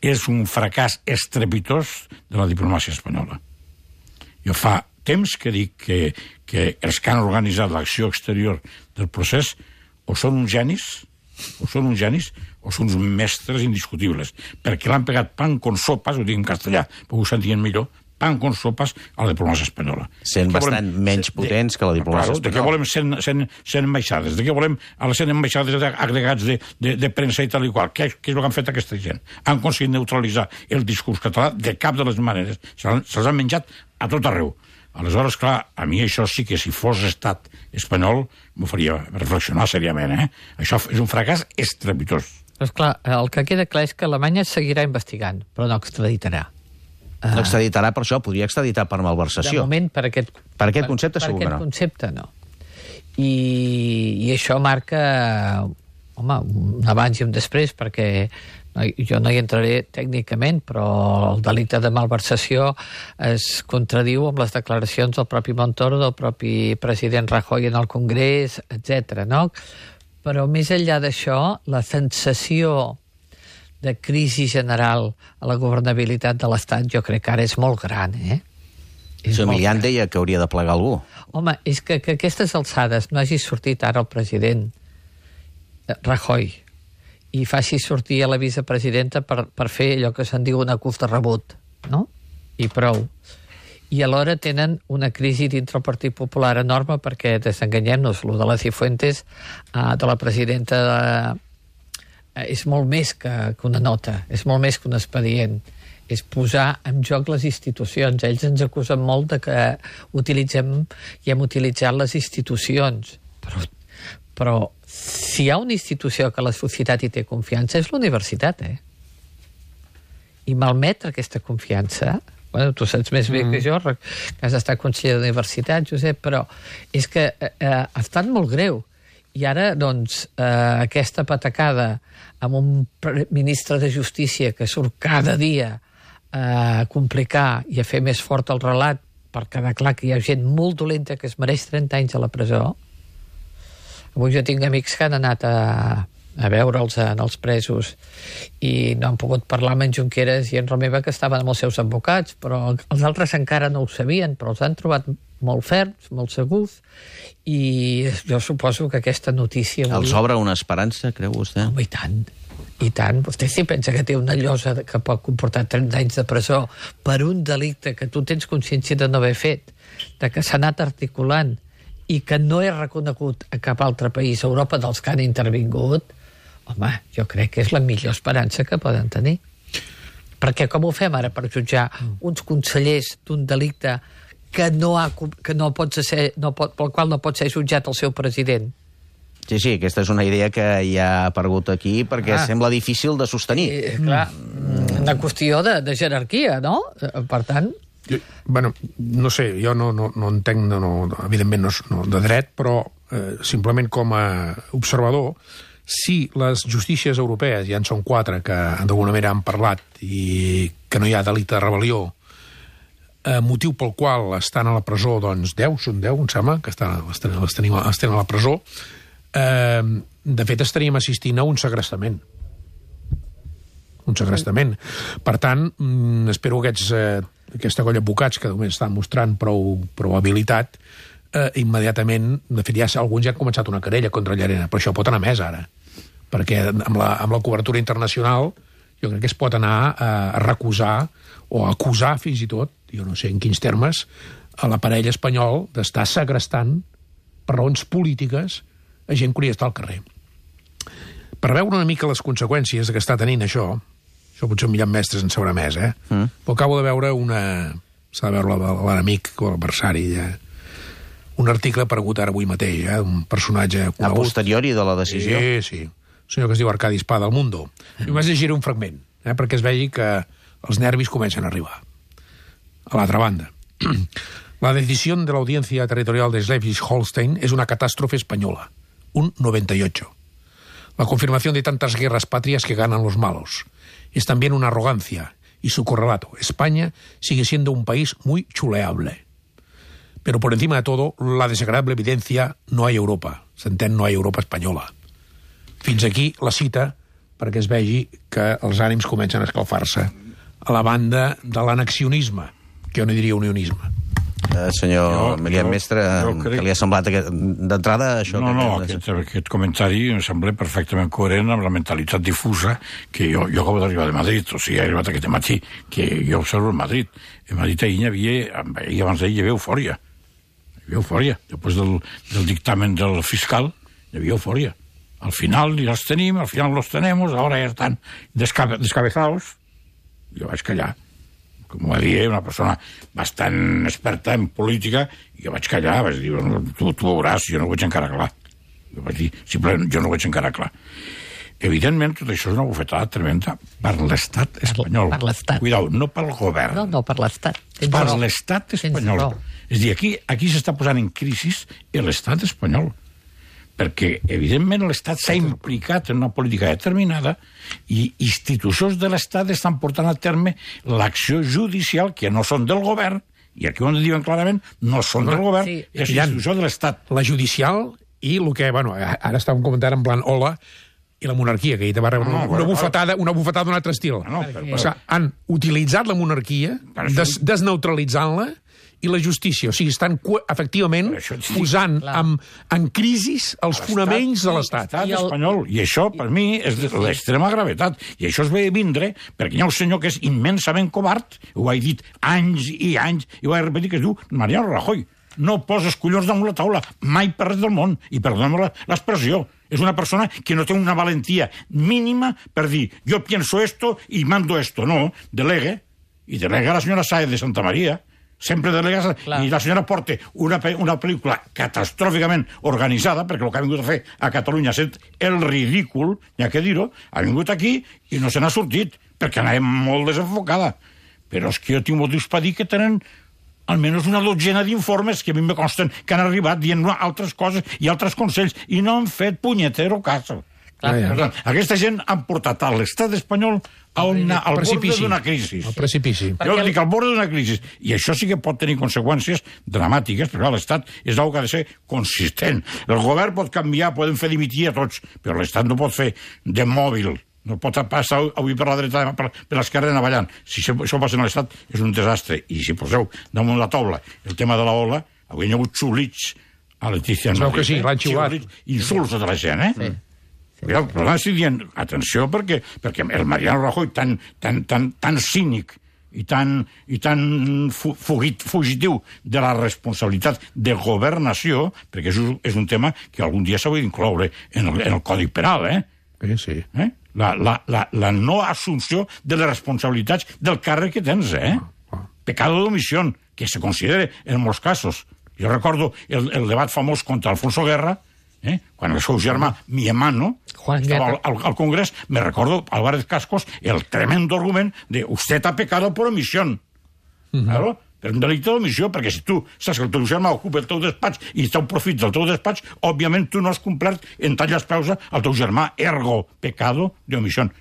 és un fracàs estrepitós de la diplomàcia espanyola. Jo fa temps que dic que els que han organitzat l'acció exterior del procés o són uns genis, o són uns mestres indiscutibles, perquè l'han pegat pan con sopas, ho dic en castellà, perquè ho sentien millor, pan con sopas a la diplomàcia espanyola. Sent bastant menys potents que la diplomàcia espanyola. De què volem 100 ambaixades? De què volem a les 100 ambaixades agregats de premsa i tal i qual? Què és el que han fet aquesta gent? Han aconseguit neutralitzar el discurs català de cap de les maneres. Se'ls han menjat a tot arreu. Aleshores, clar, a mi això sí que si fos estat espanyol m'ho faria reflexionar seriament, Això és un fracàs estrepitós. Però, esclar, el que queda clar és que Alemanya seguirà investigant, però no extraditarà. No extraditarà per això, podria extraditar per malversació. De moment, per aquest concepte segur que no. Per aquest concepte, no. I això marca, un abans i un després, perquè jo no hi entraré tècnicament, però el delicte de malversació es contradiu amb les declaracions del propi Montoro, del propi president Rajoy en el Congrés, etc. no? Però més enllà d'això, la sensació de crisi general a la governabilitat de l'Estat jo crec que ara és molt gran, Emilian deia que hauria de plegar algú. Home, és que a aquestes alçades no hagi sortit ara el president Rajoy i faci sortir a la vicepresidenta per fer allò que se'n diu un acús de rebut, no? I prou. I alhora tenen una crisi dintre el Partit Popular enorme perquè, desenganyem-nos, lo de la Cifuentes, de la presidenta, és molt més que una nota, és molt més que un expedient. És posar en joc les institucions. Ells ens acusen molt de que utilitzem i hem utilitzat les institucions. Però si hi ha una institució que la societat hi té confiança és l'universitat, I malmetre aquesta confiança, tu saps més bé que jo, que has estat conseller d'universitat, Josep, però és que ha estat molt greu. I ara, doncs, aquesta patacada amb un ministre de Justícia que surt cada dia a complicar i a fer més fort el relat per quedar clar que hi ha gent molt dolenta que es mereix 30 anys a la presó. Avui jo tinc amics que han anat a veure'ls en els presos i no han pogut parlar amb en Junqueras i en Romeva, que estaven amb els seus advocats, però els altres encara no ho sabien, però els han trobat molt ferms, molt segurs, i jo suposo que aquesta notícia... Els obre una esperança, creu vostè? Home, i tant. Vostè si pensa que té una llosa que pot comportar 30 anys de presó per un delicte que tu tens consciència de no haver fet, de que s'ha anat articulant i que no és reconegut a cap altre país a Europa dels que han intervingut, home, jo crec que és la millor esperança que poden tenir. Perquè com ho fem ara per jutjar uns consellers d'un delicte pel qual no pot ser jutjat el seu president? Sí, aquesta és una idea que ja ha aparegut aquí perquè sembla difícil de sostenir. Clar, una qüestió de jerarquia, no? Per tant... no sé, jo no entenc, evidentment no de dret, però simplement com a observador, si les justícies europees, ja en són 4 que d'alguna manera han parlat i que no hi ha delicte de rebel·lió, motiu pel qual estan a la presó, doncs 10, són 10, em sembla, que estan a la presó, de fet estaríem assistint a un segrestament. Per tant, espero aquesta colla d'advocats que només estan mostrant prou habilitat, immediatament, de fet alguns ja han començat una querella contra Llarena, però això pot anar més ara, perquè amb la cobertura internacional jo crec que es pot anar a recusar o a acusar fins i tot, jo no sé en quins termes, a l'aparell espanyol d'estar segrestant per raons polítiques a gent que hauria d'estar al carrer. Per veure una mica les conseqüències que està tenint això potser un millor mestres en sabrà més, però acabo de veure s'ha de veure l'enemic o l'adversari, un article aparegut ara avui mateix, un personatge conegut. A posteriori de la decisió? Sí. Un senyor que es diu Arcadi Espada, del Mundo. I vaig llegir un fragment, perquè es vegi que els nervis comencen a arribar. A l'altra banda. La decisión de la Audiencia Territorial de Schleswig-Holstein es una catástrofe española. Un 98. La confirmación de tantas guerras patrias que ganan los malos. Es también una arrogancia. Y su correlato, España sigue siendo un país muy chuleable. Pero por encima de todo, la desagradable evidencia, no hay Europa. S'entén, no hay Europa espanyola. Fins aquí la cita perquè es vegi que els ànims comencen a escalfar-se a la banda de l'anexionisme, que jo no diria unionisme. Senyor Milian Mestre, que li ha semblat d'entrada això? Aquest comentari em sembla perfectament coherent amb la mentalitat difusa que jo acabo d'arribar de Madrid, o sigui, he arribat aquest matí, que jo observo en Madrid. En Madrid ahir abans d'ahir hi havia eufòria. Hi havia eufòria. Després del dictamen del fiscal, hi havia eufòria. Al final ja els tenim, al final los tenemos, ahora ya están descabezados. Jo vaig callar. Com va dir una persona bastant experta en política, i jo vaig callar, vaig dir, tu veuràs, jo no ho veig encara clar. Jo vaig dir, simplement, jo no ho veig encara clar. Evidentment, tot això és una bufetada tremenda per l'estat espanyol. Per l'estat. Cuidao, no pel govern. No, per l'estat. Per l'estat espanyol. És a dir, aquí s'està posant en crisi l'estat espanyol, perquè, evidentment, l'Estat s'ha implicat en una política determinada i institucions de l'Estat estan portant a terme l'acció judicial que no són del govern, i aquí ho diuen clarament, no són del govern, és institució de l'Estat. La judicial i el que, bueno, ara estàvem comentant en plan hola, i la monarquia, que va rebre una bufetada d'un altre estil. O sigui, han utilitzat la monarquia, desneutralitzant-la, i la justícia. O sigui, estan efectivament posant en crisi els fonaments de l'Estat. L'estat espanyol. I això, per mi, és de l'extrema gravetat. I això es ve vindre perquè hi ha un senyor que és immensament covard, ho he dit anys i anys, i ho he repetit, que es diu Mariano Rajoy. No poses collons damunt la taula, mai per res del món. I perdona'm l'expressió. És una persona que no té una valentia mínima per dir, jo pienso esto y mando esto. No, delegue. I delega la senyora Sáez de Santa María. Sempre delega, i la senyora porta una pel·lícula catastròficament organitzada, perquè el que ha vingut a fer a Catalunya és el ridícul, n'hi ha que dir-ho, ha vingut aquí i no se n'ha sortit, perquè anava molt desenfocada. Però és que jo tinc motius per dir que tenen almenys una dotzena d'informes que a mi me consten que han arribat dient altres coses i altres consells, i no han fet punyetero cas. Aquesta gent han portat a l'estat espanyol al borde d'una crisi. Al precipici. Jo dic al borde d'una crisi. I això sí que pot tenir conseqüències dramàtiques, perquè l'Estat és una que ha de ser consistent. El govern pot canviar, poden fer dimitir a tots, però l'Estat no pot fer de mòbil. No pot passar avui per la dreta, per l'esquerra anar Si això passa a l'Estat és un desastre. I si poseu damunt la taula el tema de la ola, avui hi ha hagut xulits a Letícia. Es veu que sí, l'han xiulat. Insults a tota la gent, eh? Sí. Però estic dient, atenció, perquè el Mariano Rajoy tan cínic i tan fugitiu de la responsabilitat de governació, perquè és un tema que algun dia s'hauria d'incloure en el Codi Penal, Sí. La no assumpció de les responsabilitats del càrrec que tens, Pecado d'omissió, que se considera en molts casos. Jo recordo el debat famós contra Alfonso Guerra, quan el seu germà, mi hermano, estava al Congrés, me recordo, Álvarez Cascos, el tremendo argument de usted ha pecado por omisión. Claro, per un delicte d'omissió, perquè si tu saps que el teu germà ocupa el teu despatx i està un profit del teu despatx, òbviament tu no has complert en tallar els peus al teu germà, ergo pecado d'omissió.